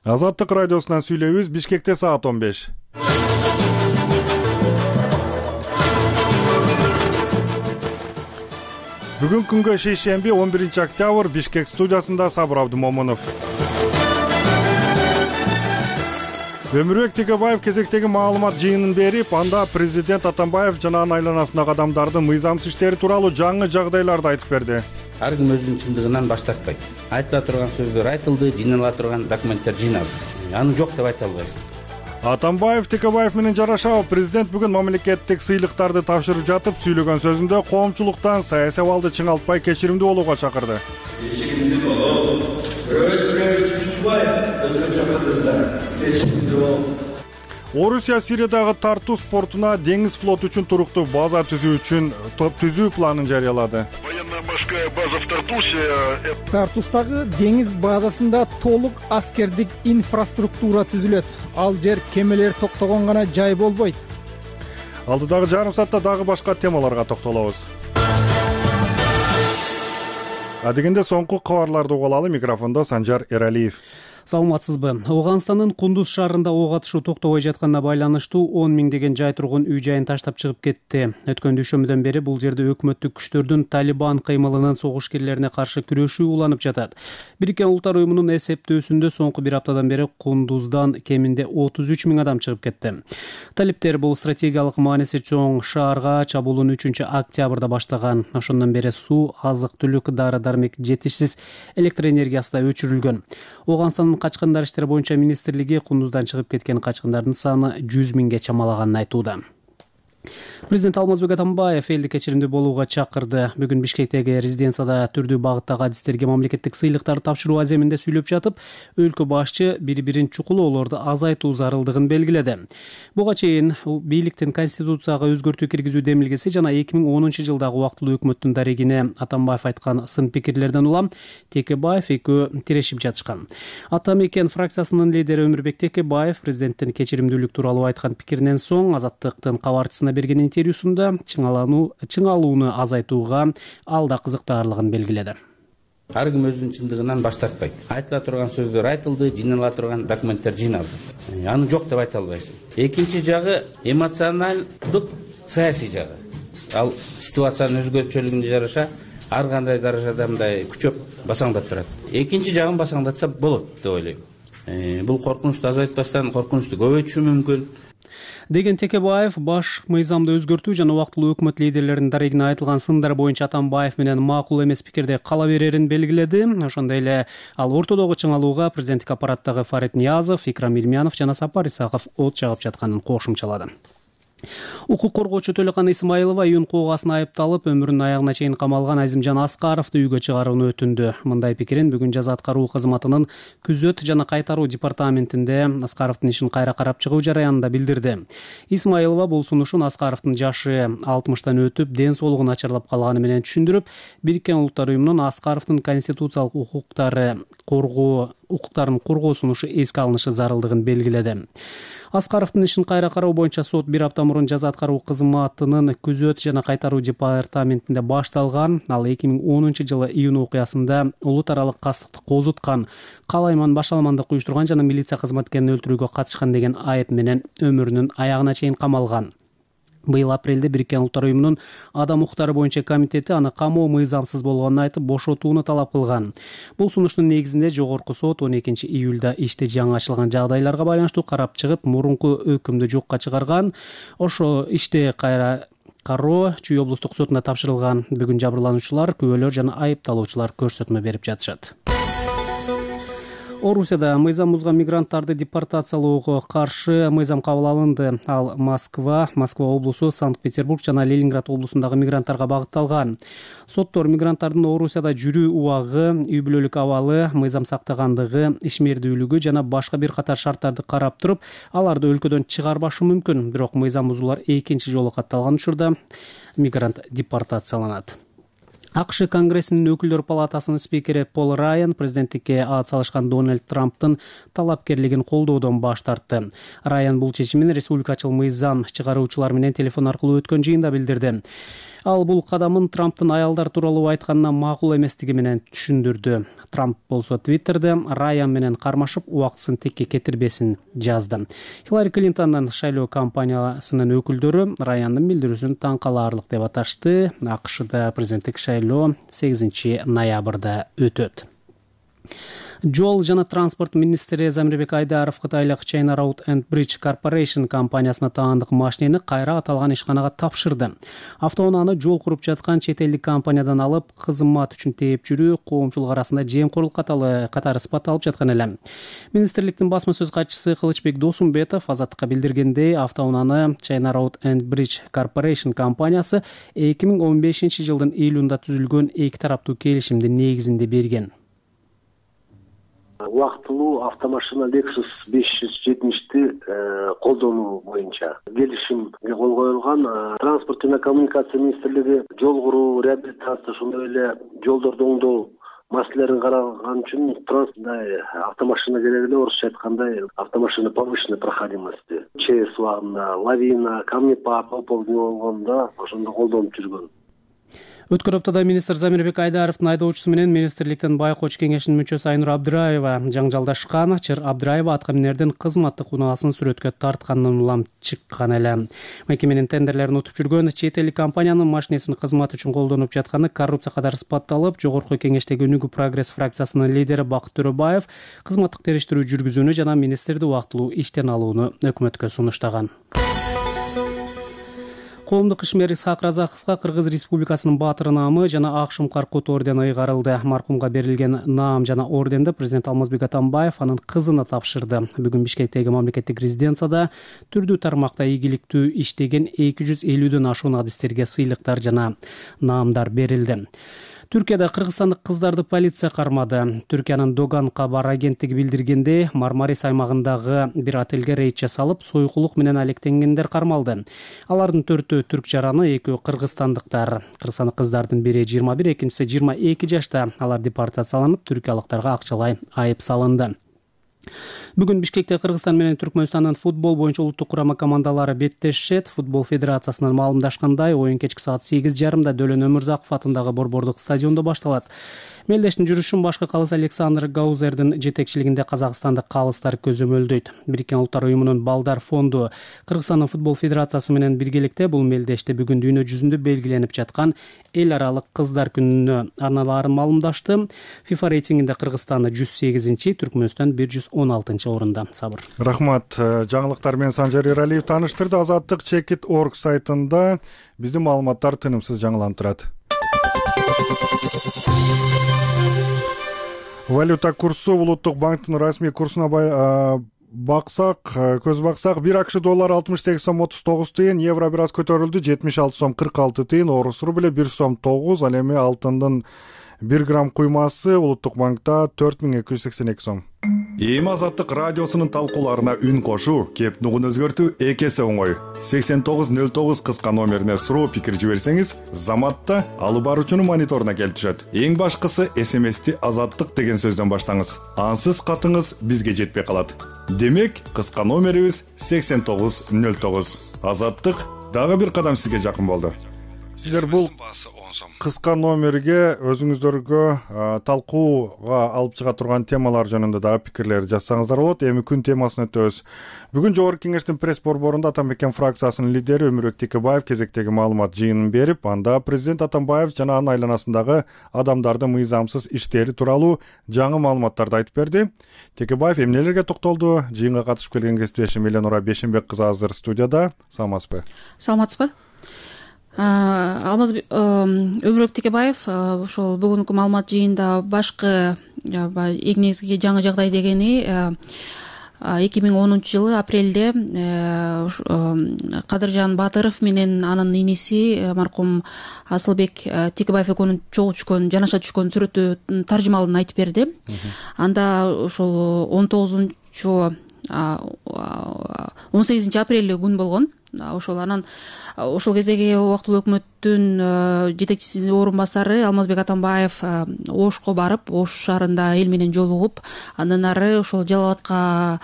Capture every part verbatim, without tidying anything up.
Азаттык радиосунан сүйлөйбүз. Бишкекте саат он беш. Бүгүн күнгө шейшемби он биринчи октябрь. Бишкек студиясында Сабыр Абдымомунов. Өмүрбек Текебаев кезектеги маалымат жыйынын берип, анда президент Атамбаев жана анын айланасындагы адамдардын мыйзамсыз иштери тууралуу жаңы жагдайларды айтып берди. Ар ким өзүнүн чындыгынан баш тартпайт. Айтыла турган сөздөр айтылды, жыйнала турган документтер жыйналды. Аны жок деп айта албайсың. Атамбаев Текебаев менен жарашабы президент бүгүн мамлекеттик сыйлыктарды тапшырып жатып, сүйлөгөн сөзүндө коомчулуктан саясий абалды чыңалтпай кечиримдүү болууга чакырды. Кечиримдүү болуу, өз-өзүн түшүнбөй, өзгөчө чакырдыңыздар. Кечиримдүү болуу. Орусия Сириядагы тартуу спортуна деңиз флоту үчүн туруктуу база түзүү үчүн түзүү планын жарыялады. Военно-морская база в Тартусе. Тартустагы деңиз базасында толук аскердик инфраструктура түзүлөт. Ал жер кемелер токтогон гана жай болбойт. Алдыдагы жарым саатта дагы башка темаларга токтолобуз. Адегенде соңку кабарларды угуп алалы. Микрофондо Санжар Эралиев. Саламатсызбы? Ауганстандын Кундуз шаарында ок атышуу токтобой жатканына байланыштуу он миңдеген жай тургун үй жайын таштап чыгып кетти. Өткөн дүйшөмбүдөн бери бул жерде өкмөттүк күчтөрдүн Талибан кыймылынын согушкерлерине каршы күрөшүү уланып жатат. Бириккен Улуттар уюмунун эсептөөсүндө соңку бир аптадан бери Кундуздан кеминде отуз үч миң адам чыгып кетти. Талиптер бул стратегиялык мааниси чоң шаарга чабуулууну үчүнчү октябрда баштаган. Ошондон бери суу, азык-түлүк, дары-дармек жетишсиз, электр энергиясы да өчүрүлгөн. Ауганстандын качкындар иштери боюнча министрлиги Кундуздан чыгып кеткен качкындардын саны жүз миңге чамалаганын айтууда. Президент Алмазбек Атамбаев элди кечиримдүү болууга чакырды. Бүгүн Бишкектеги резиденцияда түрдүү багыттагы адистерге мамлекеттик сыйлыктарды тапшыруу аземинде сүйлөп жатып, өлкө башчы бири-бирин чукулоолорду азайтуу зарылдыгын белгиледи. Буга чейин бийликтин конституцияга өзгөртүү киргизүү демилгеси жана эки миң онунчу жылдагы убактылуу өкмөттүн дарегине Атамбаев айткан сын пикирлерден улам Текебаев экөө тирешип жатышкан. Ата мекен фракциясынын лидери Өмүрбек Текебаев президенттин кечиримдүүлүк тууралуу айткан пикиринен соң Азаттыктын кабарчысына берген интервьюсунда чыңалууну азайтууга алда кызыктаарлыгын белгиледи. Ар ким өзүнүн чындыгынан баш тартпайт. Айтыла турган сөздөр айтылды, жыйнала турган документтер жыйналды. Аны жок деп айта албайсың. Экинчи жагы эмоционалдык саясий жагы. Ал ситуациянын өзгөчөлүгүнө жараша ар кандай даражада мындай күчөп басаңдап турат. Экинчи жагын басаңдатса болот деп ойлойм. Бул коркунучту азайтпастан коркунучту көбөйтүшү мүмкүн. Деген Текебаев баш мыйзамды өзгөртүү жана убактылуу өкмөт лидерлеринин дарегине айтылган сындар боюнча Атамбаев менен макул эмес пикирде кала берерин белгиледи. Ошондой эле ал ортодогу чыңалууга президенттик аппараттагы Фарид Ниязов, Икрам Илмянов жана Сапар Исаков от жагып жатканын кошумчалады. Укук коргоочу Төлөкан Исмаилова июнь куугасына айыпталып, өмүрүнүн аягына чейин камалган Азимжан Аскаровду үйгө чыгарууну өтүндү. Мындай пикирин бүгүн жаза аткаруу кызматынын күзөт жана кайтаруу департаментинде Аскаровдун ишин кайра карап чыгуу жараянында билдирди. Исмаилова бул сунушун Аскаровдун жашы алтымыштан өтүп, ден соолугу начарлап калганы менен түшүндүрүп, Бириккен Улуттар уюмунун Аскаровдун конституциялык укуктары коргоо укуктарын коргоо сунушу эске алынышы зарылдыгын белгиледи. Аскаровдун ишин кайра кароо боюнча сот бир апта мурун жаза аткаруу кызматынын күзөт жана кайтаруу департаментинде башталган. Ал эки миң онунчу жылы июнь окуясында улут аралык кастыкты козуткан, калайман башаламандык уюштурган жана милиция кызматкерин өлтүрүүгө катышкан деген айып менен өмүрүнүн аягына чейин камалган. Быйыл апрелде Бириккен Улуттар уюмунун адам укуктары боюнча комитети аны камоо мыйзамсыз болгонун айтып бошотууну талап кылган. Бул сунуштун негизинде жогорку сот он экинчи июлда иште жаңы ачылган жагдайларга байланыштуу карап чыгып, мурунку өкүмдү жокко чыгарган. Ошо иште кайра кароо Чүй облустук сотуна тапшырылган. Бүгүн жабырлануучулар, күбөлөр жана айыпталуучулар көрсөтмө берип жатышат. Орусияда мыйзам бузган мигранттарды депортациялоого каршы мыйзам кабыл алынды. Ал Москва, Москва облусу, Санкт-Петербург жана Ленинград облусундагы мигранттарга багытталган. Соттор мигранттардын Орусияда жүрүү убагы, үй бүлөлүк абалы, мыйзам сактагандыгы, ишмердүүлүгү жана башка бир катар шарттарды карап туруп, аларды өлкөдөн чыгарбашы мүмкүн. Бирок мыйзам бузуулар экинчи жолу катталган учурда мигрант депортацияланат. АКШ Конгрессинин өкүлдөр палатасынын спикери Пол Райан президенттикке ат салышкан Дональд Трамптын талапкерлигин колдоодон баш тартты. Райан бул чечимин республикачыл мыйзам чыгаруучулар менен телефон аркылуу өткөн жыйында билдирди. Ал бул кадамын Трамптын аялдар тууралуу айтканына макул эместиги менен түшүндүрдү. Трамп болсо Твиттерде Райан менен кармашып убактысын текке кетирбесин жазды. Хиллари Клинтондун шайлоо кампаниясынын өкүлдөрү Раяндын билдирүүсүн таң калаарлык деп аташты. АКШда президенттик шайлоо сегизинчи ноябрда өтөт. Жол жана транспорт министри Замирбек Айдаров кытайлык China Road and Bridge Corporation компаниясына таандык машинени кайра аталган ишканага тапшырды. Автоунааны жол куруп жаткан чет элдик компаниядан алып, кызмат үчүн тээп жүрүү коомчулук арасында жемкорлук катары сыпатталып жаткан эле. Министрликтин басма сөз катчысы Кылычбек Досумбетов Азаттыкка билдиргендей, автоунааны China Road and Bridge Corporation компаниясы эки миң он бешинчи жылдын июлунда түзүлгөн эки тараптуу келишимдин негизинде берген. Убактылуу автомашина Lexus беш жүз жетимишти колдонуу боюнча келишимге кол коюлган. Транспорт жана коммуникация министрлиги жол куруу, реабилитация, ошондой эле жолдорду оңдоо маселелерин караган үчүн транспорт автомашина керек эле, орусча айткандай автомашина повышенной проходимости. ЧС убагында лавина, камнепад, пополни болгондо ошондо колдонуп жүргөн. Өткөн аптада министр Замирбек Айдаровдун айдоочусу менен министрликтин байкоч кеңешинин мүчөсү Айнур Абдыраева жаңжалдашкан. Чыр Абдыраева атка минердин кызматтык унаасын сүрөткө тартканын улам чыккан эле. Мекеменин тендерлерин утуп жүргөн чет элдик компаниянын машинесин кызмат үчүн колдонуп жатканы коррупция катары сыпатталып, жогорку кеңештеги Өнүгүү прогресс фракциясынын лидери Бакыт Төрөбаев кызматтык териштирүү жүргүзүүнү жана министрди убактылуу иштен алууну өкмөткө сунуштаган. Коомдук ишмер Исхак Разаковго Кыргыз Республикасынын баатыры наамы жана ак шумкар-кут ордени ыйгарылды. Маркумга берилген наам жана орденди президент Алмазбек Атамбаев анын кызына тапшырды. Бүгүн Бишкектеги мамлекеттик резиденцияда түрдүү тармакта ийгиликтүү иштеген эки жүз элүүдөн ашуун адистерге сыйлыктар жана наамдар берилди. Түркияда кыргызстандык кыздарды полиция кармады. Түркиянын Доган кабар агенттиги билдиргендей, Мармарис аймагындагы бир отелге рейд жасалып, сойкулук менен алектенгендер кармалды. Алардын төртөө түрк жараны, экөө кыргызстандыктар. Кыргызстандык кыздардын бири жыйырма бир, экинчиси жыйырма эки жашта. Алар депортацияланып, түркиялыктарга акчалай айып салынды. Бүгүн Бишкекте Кыргызстан менен Түркмөнстандын футбол боюнча улуттук курама командалары беттешет. Футбол федерациясынан маалымдашкандай, оюн кечки саат сегиз жарымда Дөлөн Өмүрзаков атындагы Борбордук стадиондо башталат. Мелдештин жүрүшүн башкы калыс Александр Гаузердин жетекчилигинде казакстандык калыстар көзөмөлдөйт. Бириккен Улуттар уюмунун Балдар фонду Кыргызстандын футбол федерациясы менен биргеликте бул мелдеште бүгүн дүйнө жүзүндө белгиленип жаткан эл аралык кыздар күнүнө арналаарын маалымдашты. FIFA рейтингинде Кыргызстан жүз сегизинчи, Түркмөнстан бир жүз он алтынчы орунда. Сабыр. Рахмат. Жаңылыктар менен Санжар Эралиев тааныштырды. Азаттык чекит точка орг сайтында биздин маалыматтар тынымсыз жаңыланып турат. Валюта курсу улуттук банктын расмий курсуна баксак, көз баксак, бир АКШ доллар алтымыш сегиз сом отуз тогуз тыйын, евро бир аз көтөрүлдү, жетимиш алты сом кырк алты тыйын, орус рубль бир сом тогуз, ал эми алтындын бир грамм куймасы улуттук банкта төрт миң эки жүз сексен эки сом. Эми Азаттык радиосунун талкууларына үн кошуу, кеп нугун өзгөртүү эки эсе оңой. сексен тогуз нөл тогуз кыска номерине суроо пикир жиберсеңиз, заматта алып баруучунун мониторуна келип түшөт. Эң башкысы эс эм эсти Азаттык деген сөздөн баштаңыз. Ансыз катыңыз бизге жетпей калат. Демек, кыска номерибиз сексен тогуз нөл тогуз. Азаттык дагы бир кадам сизге жакын болду. Силер бул кыска номерге өзүңүздөргө талкууга алып чыга турган темалар жөнүндө дагы пикирлер жазсаңыздар болот. Эми күн темасын өтөбүз. Бүгүн Жогорку Кеңештин пресс борборунда Атамбекен фракциясынын лидери Өмүрбек Текебаев кезектеги маалымат жыйынын берип, анда президент Атамбаев жана анын айланасындагы адамдардын мыйзамсыз иштери тууралуу жаңы маалыматтарды айтып берди. Текебаев эмнелерге токтолду? Жыйынга катышып келген кесиптешим Эленора Бешенбек кызы азыр студияда. Саламатсызбы? Саламатсызбы? Алмаз Өмүрбек Текебаев ошол бүгүнкү маалымат жыйында башкы эң негизги жаңы жагдай дегени эки миң онунчу жылы апрелде Кадыржан Батыров менен анын иниси маркум Асылбек Текебаев экөөнүн чогуу түшкөн, жанаша түшкөн сүрөтү таржымалын айтып берди. Анда ошол он тогузунчу он сегизинчи апрель күн болгон. ошол анан ошол кездеги убактылуу өкмөттүн жетекчисинин орун басары Алмазбек Атамбаев Ошко барып, Ош шаарында эл менен жолугуп, андан ары ошол Жалал абадка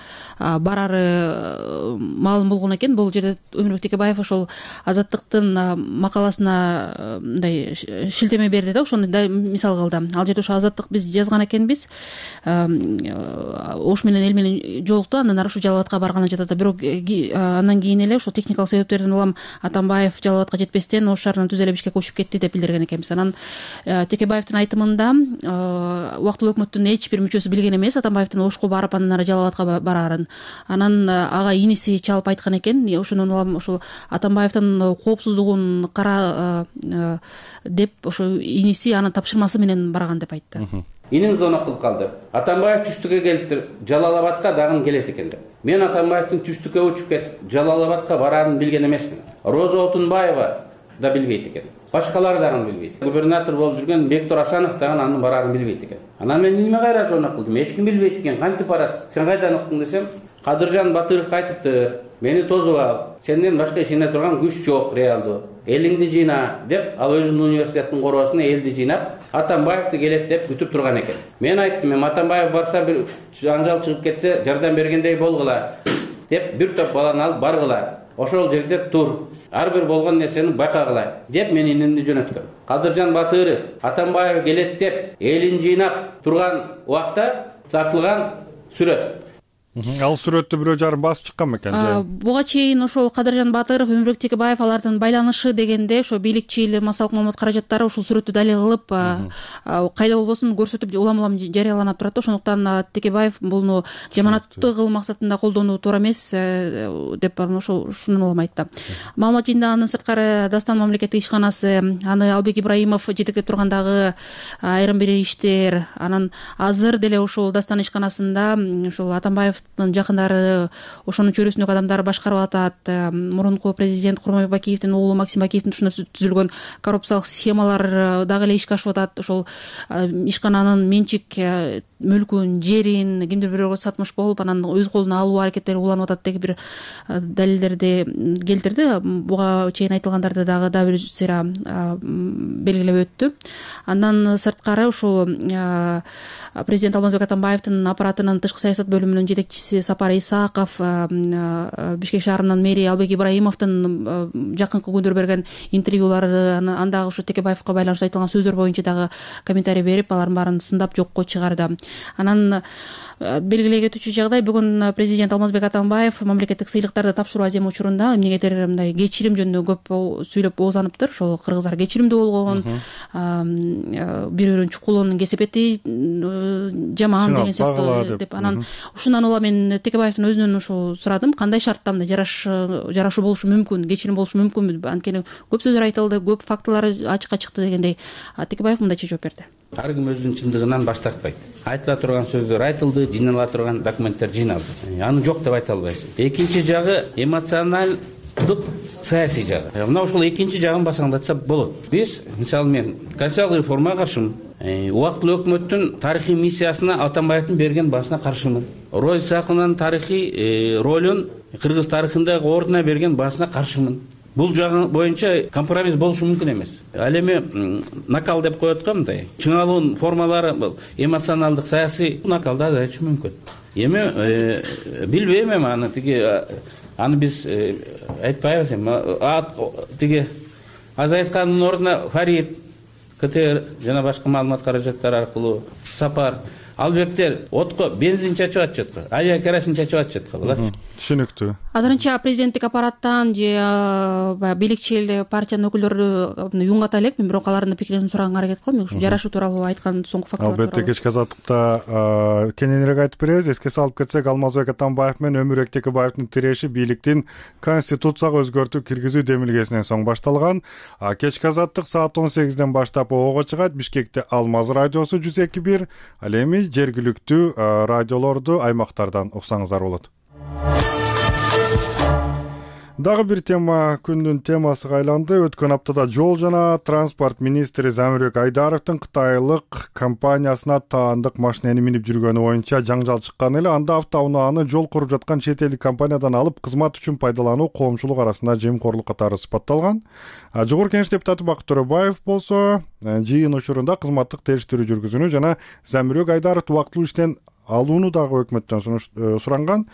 барары маалым болгон экен. Бул жерде Өмүрбек Текебаев ошол Азаттыктын макаласына мындай шилтеме берди да, ошону да мисал кылды. Ал жерде ошо Азаттык биз жазган экенбиз, Ош менен эл менен жолукту, андан ары ушу Жалал абадка барганын жатат. Бирок андан кийин эле ошол техникалык себептерден улам Атамбаев Жалал абадка жетпестен Ош шаарынан түз эле Бишкекке көчүп кетти деп билдирген экенбиз. Анан Текебаевдин айтымында убактылуу өкмөттүн эч бир мүчөсү билген эмес Атамбаевдин Ошко барып андан ары Жалал абадка бараарын. Анан ага иниси чалып айткан экен, ошондон улам ошол Атамбаевдин коопсуздугун кара деп ошо иниси анын тапшырмасы менен барган деп айтты. Иним зона кылып калды. Атамбаев түштүккө келиптир, Жалал абадка дагы келет экен деп. Мен Атамбаевдин түштүккө учуп кетип Жалал абадка бараарын билген эмесмин. Роза Отунбаева да билбейт экен. Башкалар дагы билбейт. Губернатор болуп жүргөн Бектур Асанов дагы анын бараарын билбейт экен. Анан мен неме кайра зона кылдым? Эч ким билбейт экен, кантип барат? Сен кайдан уктуң десем, Кадыржан Батыров айтыптыр. Мени тосуп ал. Сенден башка ишене турган күч жок, реалдуу. Элиңди жыйна деп, ал өзүнүн университеттин коросуна элди жыйнап, Атамбаевди келет деп күтүп турган экен. Мен айттым, эми Атамбаев барса бир жаңжал чыгып кетсе, жардам бергендей болгула деп бир топ баланы алып баргыла. Ошол жерде тур. Ар бир болгон нерсени байкагыла деп мен инимди жөнөткөм. Кадыржан Батыров Атамбаев келет деп элин жыйнап турган убакта тартылган сүрөт. Ал сүрөттү бирөө жарым басып чыккан бекен? Буга чейин ошол Кадыржан Батыров, Өмүрбек Текебаев алардын байланышы дегенде ошо бийликчил массалык маалымат каражаттары ушул сүрөттү далил кылып, кайда болбосун көрсөтүп улам-улам жарыяланып турат. Ошондуктан Текебаев буну жаманаттуу кылуу максатында колдонуу туура эмес деп ошо ушуну улам айтты. Маалымат жыйында анын сырткары Дастан мамлекеттик ишканасы, аны Албек Ибраимов жетектеп тургандагы айрым бир иштер, анан азыр деле ошол Дастан ишканасында ошол Атамбаев жакындары, ошонун чөйрөсүндөгү адамдар башкарып атат. Мурунку президент Курманбек Бакиевдин уулу Максим Бакиевдин ушунда түзүлгөн коррупциялык схемалар дагы эле ишке ашып атат. Ошол ишкананын менчик мүлкүн, жерин кимдир бирөөгө сатмыш болуп, анан өз колуна алуу аракеттери уланып атат деген бир далилдерди келтирди. Буга чейин айтылгандарды дагы да бир сыйра белгилеп өттү. Андан сырткары ушул президент Алмазбек Атамбаевдин аппаратынын тышкы саясат бөлүмүнүн жетекчиси Сапар Исаков, Бишкек шаарынын мэри Албек Ибраимовдун жакынкы күндөр берген интервьюлары, андагы ушу Текебаевка байланыштуу айтылган сөздөр боюнча дагы комментарий берип, алардын баарын сындап жокко чыгарды. Анан белгилей кетүүчү жагдай, бүгүн президент Алмазбек Атамбаев мамлекеттик сыйлыктарды тапшыруу аземи учурунда эмнегедир мындай кечирим жөнүндө көп сүйлөп оозаныптыр. Ошол кыргыздар кечиримдүү болгон, бир-бирин чукулуунун кесепети жаман деген сыяктуу деп. Анан ушундан улам мен Текебаевдин өзүнөн ушул сурадым, кандай шартта мындай жарашуу болушу мүмкүн, кечирим болушу мүмкүнбү? Анткени көп сөздөр айтылды, көп фактылар ачыкка чыкты дегендей. Текебаев мындайча жооп берди. Ар ким өзүнүн чындыгынан баш тартпайт. Айтыла турган сөздөр айтылды, жыйнала турган документтер жыйналды. Аны жок деп айта албайсың. Экинчи жагы эмоционалдык саясий жагы. Мына ушул экинчи жагын басаңдатса болот. Биз, мисалы, мен конституциялык реформага каршымын. Убактылуу өкмөттүн тарыхый миссиясына Атамбаевдин берген башына каршымын. Роза Исаковнун тарыхый ролун кыргыз тарыхындагы ордуна берген башына каршымын. Бул жагы боюнча компромисс болушу мүмкүн эмес. Ал эми накал деп коет го, мындай чыңалуунун формалары эмоционалдык саясий накалда да мүмкүн. Эми билбейм, эми аны тиги аны биз айтпайбыз эми. Тиги аз айткандын ордуна Фарид, КТР жана башка маалымат каражаттары аркылуу Сапар, Албектер отко бензин чачып атышат го, авиа керосин чачып атышат го, булар. Түшүнүктүү. Азырынча президенттик аппараттан же бийликчил партиянын өкүлдөрү юнгата элек, мен бирок алардын пикирин сураганга аракет кылам. Ушу жарашуу тууралуу айткан соңку фактылар тууралуу. Албетте кечки азаттыкта кененирээк айтып беребиз. Эске салып кетсек, Алмазбек Атамбаев менен Өмүрбек Текебаевдин тиреши бийликтин конституцияга өзгөртүү киргизүү демилгесинен соң башталган. Кечки азаттык саат он сегизден баштап ого чыгат. Бишкекте Алмаз радиосу жүз эки бир, ал эми жергиликтүү радиолорду аймактардан уксаңыздар болот. Дагы бир тема күндүн темасыга айланды. Өткөн аптада жол жана транспорт министри Замирбек Айдаровдун кытайлык компаниясына таандык машинени минип жүргөнү боюнча жаңжал чыккан эле. Анда автоунааны жол куруп жаткан чет элдик компаниядан алып кызмат үчүн пайдалануу коомчулук арасында жемкорлук катары сыпатталган. Жогорку Кеңеш депутаты Бакыт Төрөбаев болсо жыйын учурунда кызматтык териштирүү жүргүзүүнү жана Замирбек Айдаровду убактылуу иштен алууну дагы өкмөттөн суранган.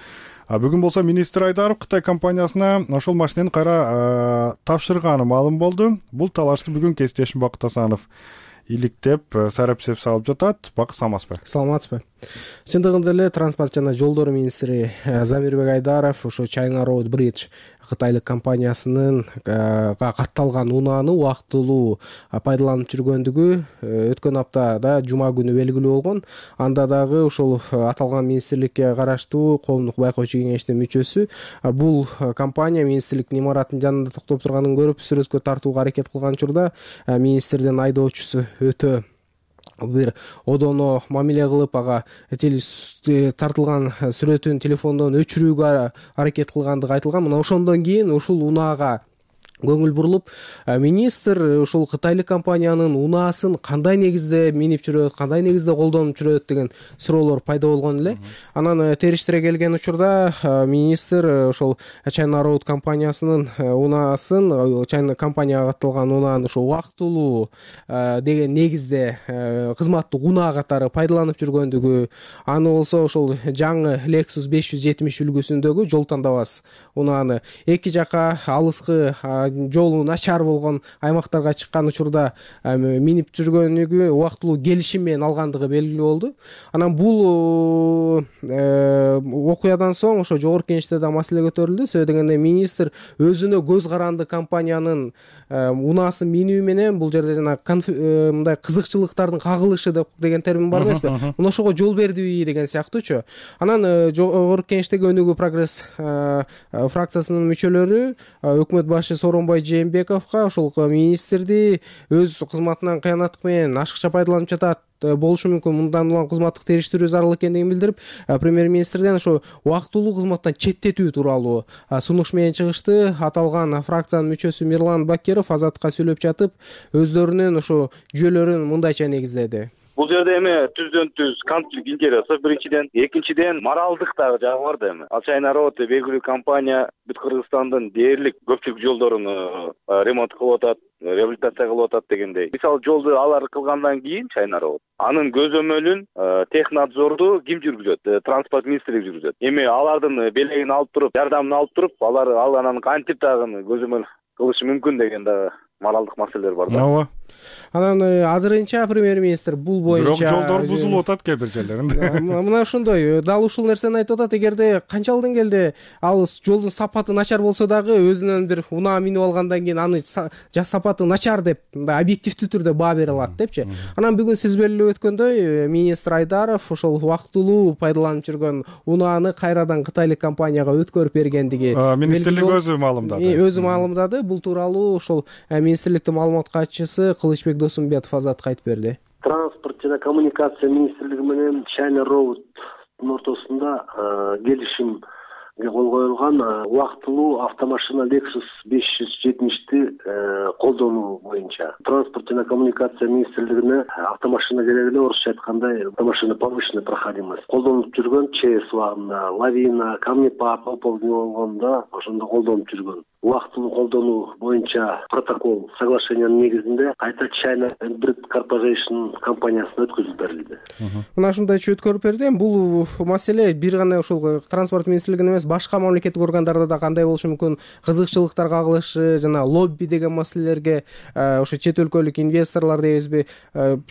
Бүгүн болсо министр Айдаров Кытай компаниясына ошол машинени кайра тапшырганы маалым болду. Бул талашты бүгүн кесиптешим Бакыт Асанов иликтеп, сарапсеп салып жатат. Бакыт, саламатсызбы? Саламатсызбы. Чындыгында эле транспорт жана жолдор министри Замирбек Айдаров ошо China Road Bridge кытайлык компаниясынын катталган унааны убактылуу пайдаланып жүргөндүгү өткөн аптада жума күнү белгилүү болгон. Анда дагы ошол аталган министрликке караштуу коомдук байкоочу кеңештин мүчөсү бул компания министрликтин имараттын жанында токтоп турганын көрүп сүрөткө тартууга аракет кылган учурда министрдин айдоочусу өтө бир одоно мамиле кылып, ага тартылган сүрөтүн телефондон өчүрүүгө аракет кылгандыгы айтылган. Мына ошондон кийин ушул унаага көңүл бурулуп, министр ушул кытайлык компаниянын унаасын кандай негизде минип жүрөт, кандай негизде колдонуп жүрөт деген суроолор пайда болгон эле. Анан териштире келген учурда министр ошол China Road компаниясынын унаасын, China компанияга катталган унааны ошо убактылуу деген негизде кызматтык унаа катары пайдаланып жүргөндүгү, аны болсо ошол жаңы Lexus беш жүз жетимиш үлгүсүндөгү жол тандабас унааны эки жака алыскы жолу начар болгон аймактарга чыккан учурда минип жүргөнүгү убактылуу келишим менен алгандыгы белгилүү болду. Анан бул окуядан соң ошо жогорку кеңеште да маселе көтөрүлдү. Себеби дегенде министр өзүнө көз каранды компаниянын унаасын минүү менен бул жерде жана мындай кызыкчылыктардын кагылышы деген термин бар эмеспи? Мына ошого жол бердиби деген сыяктуучу. Анан жогорку кеңештеги Өнүгүү прогресс фракциясынын мүчөлөрү өкмөт башы Сооронбай Жээнбековго ошол министрди өз кызматынан кыянаттык менен ашыкча пайдаланып жатат болушу мүмкүн, мындан улам кызматтык териштирүү зарыл экендигин билдирип, премьер-министрден ошо убактылуу кызматтан четтетүү тууралуу сунуш менен чыгышты. Аталган фракциянын мүчөсү Мирлан Бакиров Азатка сүйлөп жатып, өздөрүнүн ошо жүйөлөрүн мындайча негиздеди. Бул жерде эми түздөн түз конфликт интересов биринчиден, экинчиден моралдык дагы жагы бар да эми. Ал China Road белгилүү компания бүт Кыргызстандын дээрлик көпчүлүк жолдорун ремонт кылып атат, реабилитация кылып атат дегендей. Мисалы жолду алар кылгандан кийин China Road анын көзөмөлүн технадзорду ким жүргүзөт? Транспорт министрлиги жүргүзөт. Эми алардын белегин алып туруп, жардамын алып туруп, алар ал анан кантип дагы көзөмөл кылышы мүмкүн деген дагы моралдык маселелер бар да. Ооба. Анан азырынча премьер-министр бул боюнча бирок жолдор бузулуп атат кээ бир жерлеринде. Мына ошондой дал ушул нерсени айтып атат. Эгерде канчалык келди ал жолдун сапаты начар болсо дагы өзүнөн бир унаа минип алгандан кийин аны жа сапаты начар деп мындай объективдүү түрдө баа бере алат депчи. Анан бүгүн сиз белгилеп өткөндөй министр Айдаров ошол убактылуу пайдаланып жүргөн унааны кайрадан кытайлык компанияга өткөрүп бергендиги министрлик өзү маалымдады. Өзү маалымдады. Бул тууралуу ошол министрликтин маалымат катчысы Кылычбек Досумбетов Азатка айтып берди. Транспорт жана коммуникация министрлиги менен China Road'дун ортосунда келишим кол коюлган убактылуу автомашина Lexus беш жүз жетимишти колдонуу боюнча. Транспорт жана коммуникация министрлигине автомашина керек эле, орусча айтканда автомашина повышенной проходимости колдонуп жүргөн ЧС убагында, лавина, камнепад, оползни болгондо ошондо колдонуп жүргөн. Убактылуу колдонуу боюнча протокол соглашениянын негизинде кайта China Road Corporation компаниясына өткөзүп берилди. Мына ушундайча өткөрүп берди. Бул маселе бир гана ушул транспорт министрлигинде эмес, башка мамлекеттик органдарда да кандай болушу мүмкүн, кызыкчылыктар кагылышы жана лобби деген маселелерге ошо чет өлкөлүк инвесторлор дейбизби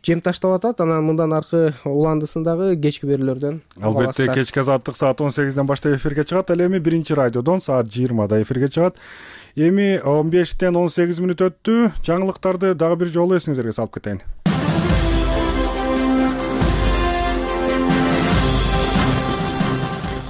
жем таштап атат. Анан мындан аркы уландысын дагы кечки берүүлөрдөн албетте кечки азаттык саат он сегизден баштап эфирге чыгат. Ал эми биринчи радиодон саат жыйырмада эфирге чыгат. Эми он бештен он сегиз мүнөт өттү. Жаңылыктарды дагы бир жолу эсиңизерге салып кетейин.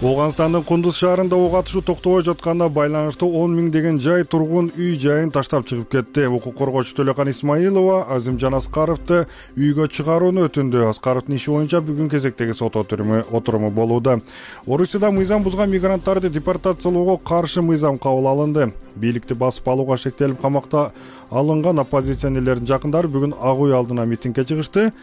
Ооганстандын Кундуз шаарында ок атышуу токтобой жатканда байланыштуу он миңдеген жай тургун үй жайын таштап чыгып кетти. Укук коргоочу Төлөкан Исмаилова Азимжан Аскаровду үйгө чыгарууну өтүндү. Аскаровдун иши боюнча бүгүн кезектеги сот отуруму болууда. Орусияда мыйзам бузган мигранттарды депортациялоого каршы мыйзам кабыл алынды. Бийликти басып алууга шектелип камакта алынган оппозиционерлердин жакындары бүгүн Ак үй алдына митингге чыгышты.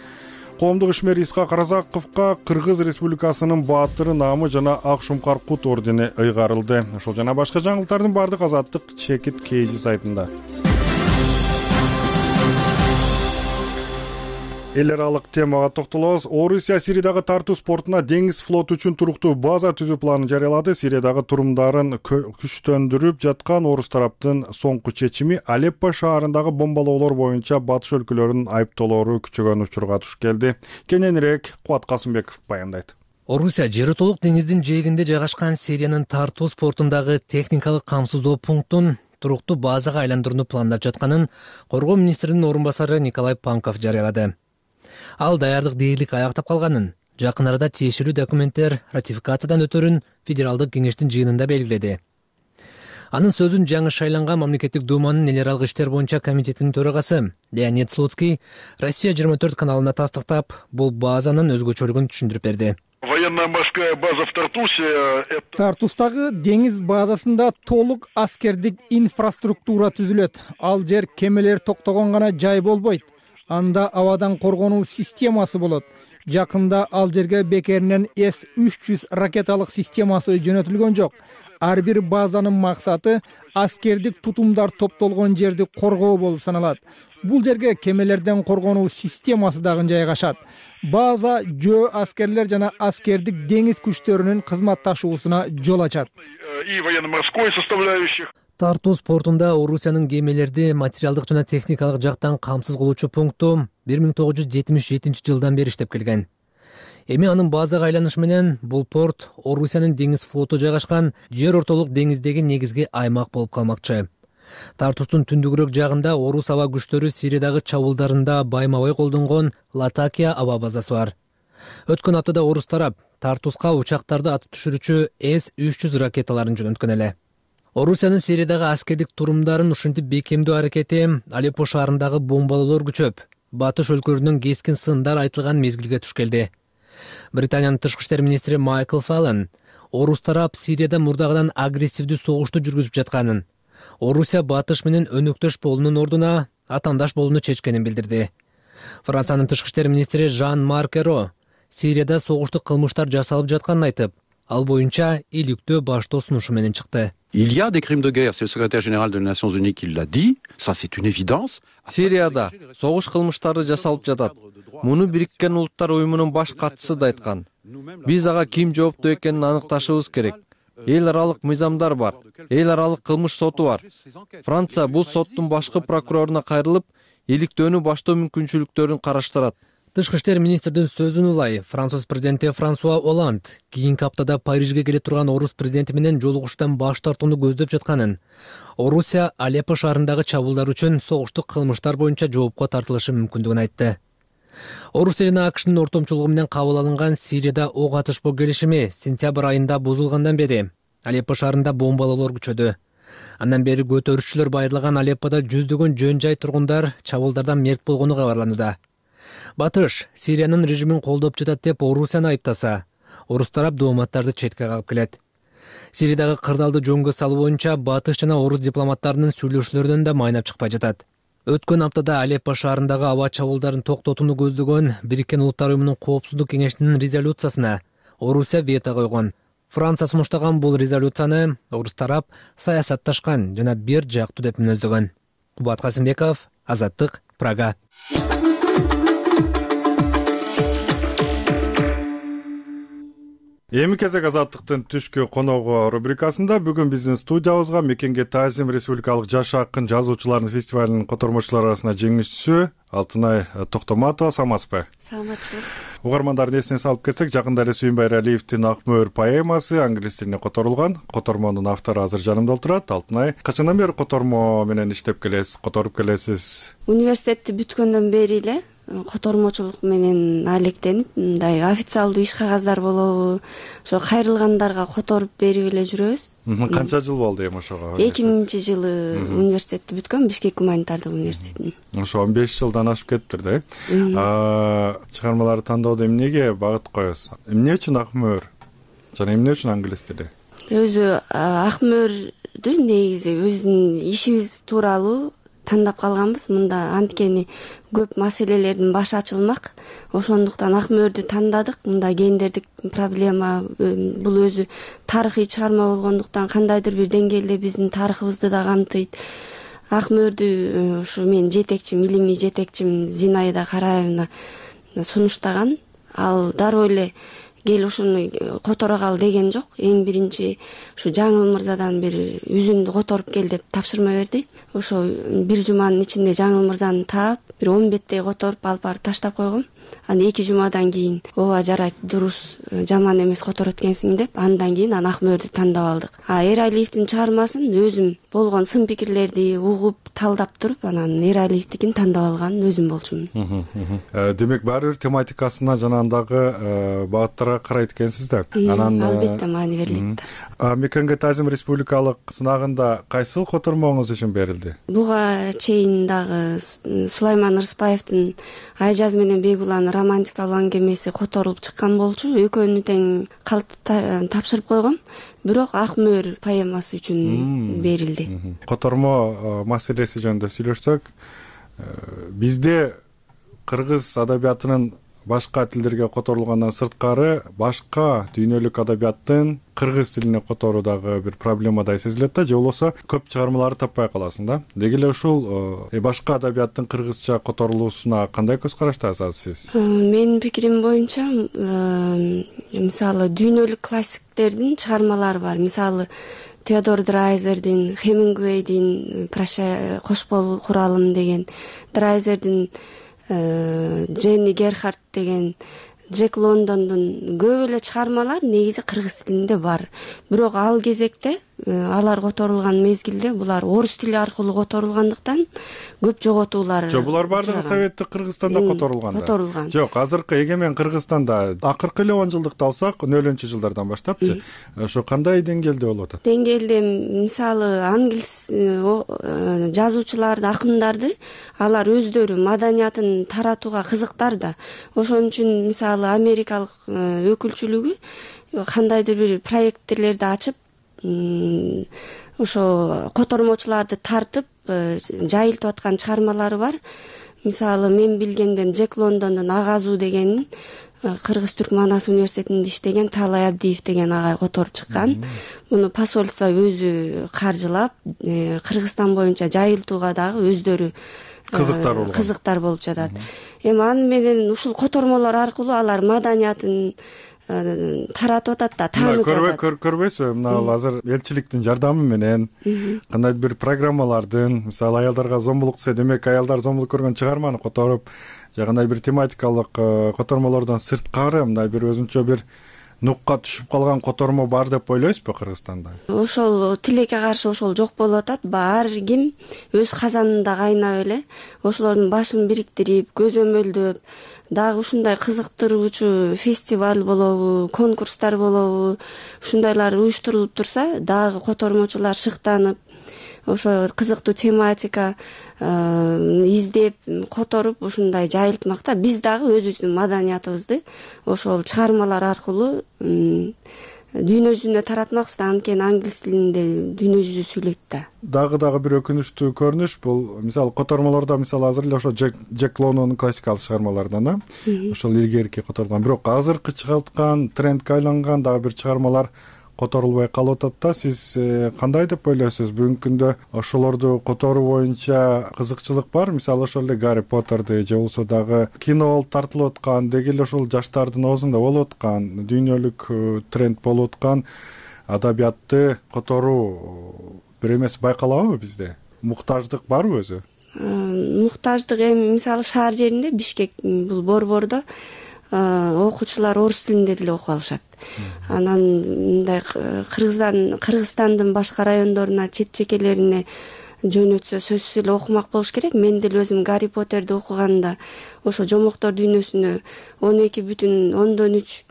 Коомдук ишмер Исхак Разаковго Кыргыз Республикасынын баатыры наамы жана Ак Шумкар Кут ордени ыйгарылды. Ошол жана башка жаңылыктардын баардык Азаттык чекит Кейзи сайтында. Эл аралык темага токтолобуз. Орусия Сириядагы тартуу спортуна деңиз флоту үчүн туруктуу база түзүү планын жарыялады. Сириядагы турумдарын күчтөндүрүп жаткан орус тараптын соңку чечими Алеппо шаарындагы бомбалоолор боюнча батыш өлкөлөрүнүн айыптоолору күчөгөн учурга туш келди. Кененирээк Кубат Касымбеков баяндайт. Орусия жери толук деңиздин жээгинде жайгашкан Сириянын тартуу спортундагы техникалык камсыздоо пунктун туруктуу базага айландырууну пландап жатканын коргоо министринин орун басары Николай Панков жарыялады. Ал даярдык дээрлик аяктап калганын, жакын арада тиешелүү документтер ратификациядан өтөрүн Федералдык кеңештин жыйынында белгиледи. Анын сөзүн жаңы шайланган мамлекеттик думанын эл аралык иштер боюнча комитетинин төрагасы Леонид Слуцкий Россия жыйырма төрт каналына тастыктап, бул базанын өзгөчөлүгүн түшүндүрүп берди. Военно-морская база в Тартусе. Тартустагы деңиз базасында толук аскердик инфраструктура түзүлөт. Ал жер кемелер токтогон гана жай болбойт. Анда абадан коргонуу системасы болот. Жакында ал жерге бекеринен эс үч жүз ракеталык системасы жөнөтүлгөн жок. Ар бир базанын максаты аскердик тутумдар топтолгон жерди коргоо болуп саналат. Бул жерге кемелерден коргонуу системасы дагы жайгашат. База жөө аскерлер жана аскердик деңиз күчтөрүнүн кызматташуусуна жол ачат. И военно-морской составляющих. Тартуу спортунда Орусиянын кемелерди материалдык жана техникалык жактан камсыз кылуучу пункту бир миң тогуз жүз жетимиш жетинчи жылдан бери иштеп келген. Эми анын базага айланышы менен бул порт Орусиянын деңиз флоту жайгашкан жер ортолук деңиздеги негизги аймак болуп калмакчы. Тартустун түндүгүрөөк жагында орус аба күчтөрү Сириядагы чабуулдарында байма-бай колдонгон Латакия аба базасы бар. Өткөн аптада орус тарап Тартуска учактарды атып түшүрүүчү эс үч жүз ракеталарын жөнөткөн эле. Орусиянын Сириядагы аскердик турумдарын ушинтип бекемдөө аракети Алеппо шаарындагы бомбалоолор күчөп, батыш өлкөлөрүнүн кескин сындар айтылган мезгилге туш келди. Британиянын тышкы иштер министри Майкл Фаллон орус тарап Сирияда мурдагыдан агрессивдүү согушту жүргүзүп жатканын, Орусия батыш менен өнөктөш болуунун ордуна атаандаш болууну чечкенин билдирди. Франциянын тышкы иштер министри Жан-Марк Эро Сирияда согуштук кылмыштар жасалып жатканын айтып, ал боюнча иликтөө баштоо сунушу менен чыкты. Il y a des crimes de guerre, c'est le secrétaire général des Nations Unies qui l'a dit, ça c'est une évidence. Сирияда согуш кылмыштары жасалып жатат. Муну Бириккен Улуттар уюмунун баш катчысы да айткан. Биз ага ким жооптуу экенин аныкташыбыз керек. Эл аралык мыйзамдар бар. Эл аралык кылмыш соту бар. Франция бул соттун башкы прокуроруна кайрылып, иликтөөнү баштоо мүмкүнчүлүктөрүн караштырат. Тышкы иштер министрдин сөзүн улай Француз президенти Франсуа Оланд кийинки аптада Парижге келе турган орус президенти менен жолугуштан баш тартууну көздөп жатканын, Орусия Алеппо шаарындагы чабуулдар үчүн согуштук кылмыштар боюнча жоопко тартылышы мүмкүндүгүн айтты. Орусия жана АКШнын ортомчулугу менен кабыл алынган Сирияда ок атышпоо келишими сентябрь айында бузулгандан бери Алеппо шаарында бомбалоолор күчөдү. Андан бери көтөрүшчүлөр байырлаган Алеппода жүздөгөн жөн жай тургундар чабуулдардан мерт болгону кабарланууда. Батыш Сириянын режимин колдоп жатат деп Орусияны айыптаса, орус тарап дооматтарды четке кагып келет. Сириядагы кырдаалды жөнгө салуу боюнча Батыш жана орус дипломаттарынын сүйлөшүүлөрүнөн да майнап чыкпай жатат. Өткөн аптада Алеппо шаарындагы аба чабуулдарын токтотууну көздөгөн Бириккен Улуттар уюмунун коопсуздук кеңешинин резолюциясына Орусия вето койгон. Франция сунуштаган бул резолюцияны орус тарап саясатташкан жана бир жактуу деп мүнөздөгөн. Кубат Касымбеков, Азаттык, Прага. Эми кезек Азаттыктын түшкү коногу рубрикасында бүгүн биздин студиябызга Мекенге Таазим Республикалык жаш акын жазуучулардын фестивалынын котормочулары арасында жеңүүчүсү Алтынай Токтоматова. Саламатсызбы? Саламатчылык. Угармандардын эсине салып кетсек, жакында эле Сүйүнбай Эралиевдин Ак мөөр поэмасы англис тилине которулган. Котормонун автору азыр жанымда отурат. Алтынай, качандан бери котормо менен иштеп келесиз, которуп келесиз? Университетти бүткөндөн бери эле котормочулук менен алектенип мындай официалдуу иш кагаздар болобу ошо кайрылгандарга которуп берип эле жүрөбүз. Канча жыл болду эми ошого? эки миңинчи жылы университетти бүткөм, Бишкек гуманитардык университетин. Ошо он беш жылдан ашып кетиптир да. Чыгармаларды тандоодо эмнеге багыт коесуз? Эмне үчүн ак мөөр жана эмне үчүн англис тили? Өзү ак мөөрдү негизи өзүнүн ишибиз тууралуу тандап калганбыз. Мында анткени көп маселелердин башы ачылмак. Ошондуктан ак мөөрдү тандадык. Мында гендердик проблема, бул өзү тарыхый чыгарма болгондуктан кандайдыр бир деңгээлде биздин тарыхыбызды да камтыйт. Ак мөөрдү ушу менин жетекчим, илимий жетекчим Зинаида Караевна сунуштаган. Ал дароо эле кел ушуну которогал деген жок. Эң биринчи ушу Жаңыл мырзадан бир үзүндү которуп кел деп тапшырма берди. Ошо бир жуманын ичинде Жаңыл мырзаны таап, бир он беттей которуп алып барып таштап койгом. Аны эки жумадан кийин ооба жарайт, дурус, жаман эмес которот экенсиң деп, андан кийин аны ак мөөрдү тандап алдык. А Эралиевдин чыгармасын өзүм болгон сын пикирлерди угуп, талдап туруп, анан Эралиевдикин тандап алган өзүм болчумун. Демек баары бир тематикасына жана андагы багыттарга карайт экенсиз да. Анан албетте маани берилет. Мекенге Тазим республикалык сынагында кайсыл котормоңуз үчүн берилди? Буга чейин дагы Сулайман Рыспаевдин Айжаз менен Бегуланын романтикалуу аңгемеси которулуп чыккан болчу. Экөөнү тең тапшырып койгом. Бирок ак мөөр поэмасы үчүн берилди. Котормо маселеси жөнүндө сүйлөшсөк, бизде кыргыз адабиятынын башка тилдерге которулгандан сырткары башка дүйнөлүк адабияттын кыргыз тилине которуу дагы бир проблемадай сезилет да, же болбосо көп чыгармаларды таппай каласың да. Деги эле ушул башка адабияттын кыргызча которулуусуна кандай көз караштасыз сиз? Менин пикирим боюнча, мисалы дүйнөлүк классиктердин чыгармалары бар. Мисалы Теодор Драйзердин, Хемингуэйдин «Прощай, кош бол куралым» деген, Драйзердин Дженни Герхард деген, Джек Лондондун көп эле чыгармалар негизи кыргыз тилинде бар. Бирок ал кезекте алар которулган мезгилде булар орус тили аркылуу которулгандыктан көп жоготуулар. Жок, булар бардыгы советтик Кыргызстанда которулган. Которулган. Жок, азыркы эгемен Кыргызстанда акыркы эле он жылдыкты алсак, нөлүнчү жылдардан баштапчы, ошо кандай деңгээлде болуп атат? Деңгээлде мисалы англис жазуучуларды, акындарды алар өздөрү маданиятын таратууга кызыктар да. Ошон үчүн мисалы америкалык өкүлчүлүгү кандайдыр бир проекттерлерди ачып, ошо котормочуларды тартып жайылтып аткан чыгармалары бар. Мисалы мен билгенден Джек Лондондун Агазуу дегенин Кыргыз Түрк Манас университетинде иштеген Таалай Абдиев деген агай которуп чыккан. Муну посольство өзү каржылап, Кыргызстан боюнча жайылтууга дагы өздөрү кызыктар болгон. Кызыктар болуп жатат. Эми аны менен ушул котормолор аркылуу алар маданиятын таратып атат да, таанытып атат. Көрбөйсүзбү? Мына азыр элчиликтин жардамы менен кандайдыр бир программалардын, мисалы аялдарга зомбулук десе, демек аялдар зомбулук көргөн чыгарманы которуп, же кандай бир тематикалык котормолордон сырткары мындай бир өзүнчө бир нукка түшүп калган котормо бар деп ойлойсузбу Кыргызстанда? Ошол тилекке каршы ошол жок болуп атат. Ар ким өз казанында кайнап эле ошолордун башын бириктирип, көзөмөлдөп, дагы ушундай кызыктыруучу фестиваль болобу, конкурстар болобу, ушундайлар уюштурулуп турса, дагы котормочулар шыктанып, ошо кызыктуу тематика издеп, которуп ушундай жайылтмакта. Биз дагы өзүбүздүн маданиятыбызды ошол чыгармалар аркылуу дүйнө жүзүнө таратмакпыз да, анткени англис тилинде дүйнө жүзү сүйлөйт да. Дагы дагы бир өкүнүчтүү көрүнүш бул, мисалы котормолордо мисалы азыр эле ошо Джек Лондондун классикалык чыгармаларынан да, ошол илгерки которулган, бирок азыркы чыгарткан трендке айланган дагы бир чыгармалар которулбай калып атат да. Сиз кандай деп ойлойсуз? Бүгүнкү күндө ошолорду которуу боюнча кызыкчылык бар? Мисалы ошол эле Гарри Поттерди же болбосо дагы кино болуп тартылып аткан, деги эле ошол жаштардын оозунда болуп аткан, дүйнөлүк тренд болуп аткан адабиятты которуу бир эмес байкалабы бизде? Муктаждык барбы өзү? Муктаждык эми мисалы шаар жеринде, Бишкек бул борбордо окуучулар орус тилинде деле окуп алышат. Анан мындай Кыргызстан Кыргызстандын башка райондоруна, чет чекелерине жөнөтсө сөзсүз эле окумак болуш керек. Мен деле өзүм Гарри Поттерди окуганда ошо жомоктор дүйнөсүнө он эки бүтүн ондон үч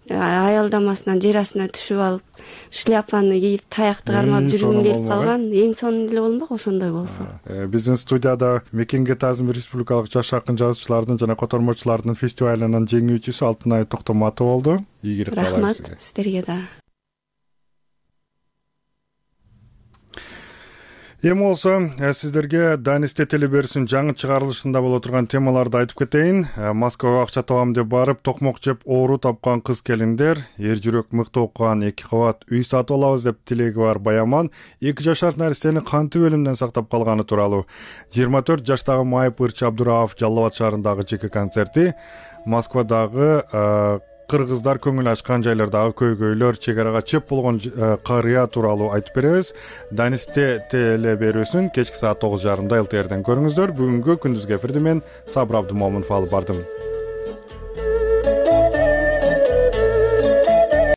аялдамасынан жер астына түшүп алып, шляпаны кийип, таякты кармап жүргүм келип калган. Эң сонун эле болмок ошондой болсо. Биздин студияда Мекенге таазим республикалык жаш акын жазуучулардын жана котормочулардын фестивалынын жеңүүчүсү Алтынай Токтоматова болду. Ийгилик каалайм сизге. Рахмат сиздерге да. Эми болсо сиздерге Данисте телеберүүсүнүн жаңы чыгарылышында боло турган темаларды айтып кетейин. Москвага акча табам деп барып, токмок жеп оору тапкан кыз келиндер, эр жүрөк мыкты окуган эки кабат үй сатып алабыз деп тилеги бар Баяман эки жашар наристени кантип өлүмдөн сактап калганы тууралуу. жыйырма төрт жаштагы Майып Ырчы Абдураов Жалал Абад шаарындагы жеке концерти, Москвадагы кыргыздар көңүл ачкан жайлардагы көйгөйлөр, чек арага чеп болгон карыя тууралуу айтып беребиз. Данисте телеберүүсүн кечки саат тогуз жарымда эл ти эрден көрүңүздөр. Бүгүнкү күндүзгү эфирди мен Сабыр Абдымомунов алып бардым.